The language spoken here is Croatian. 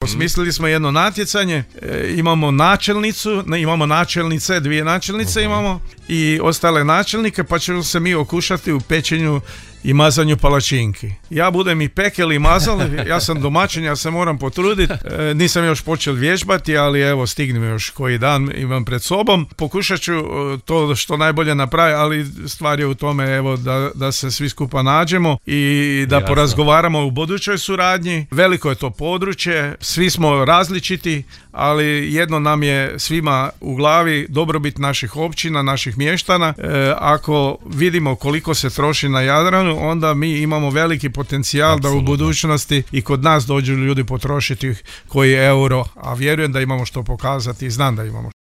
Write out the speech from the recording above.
Osmislili smo jedno natjecanje, imamo načelnice, 2 načelnice imamo i ostale načelnike, pa ćemo se mi okušati u pečenju i mazanju palačinki. Ja budem i pekel i mazal, ja sam domaćin, ja se moram potruditi, nisam još počeo vježbati, ali evo stignem još koji dan, imam pred sobom. Pokušat ću to što najbolje napraviti, ali stvar je u tome evo da se svi skupa nađemo i da porazgovaramo u budućoj suradnji. Veliko je to područje, svi smo različiti, ali jedno nam je svima u glavi, dobrobit naših općina, naših mještana. Ako vidimo koliko se troši na Jadranu, onda mi imamo veliki potencijal da u budućnosti i kod nas dođu ljudi potrošiti koji euro, a vjerujem da imamo što pokazati i znam da imamo.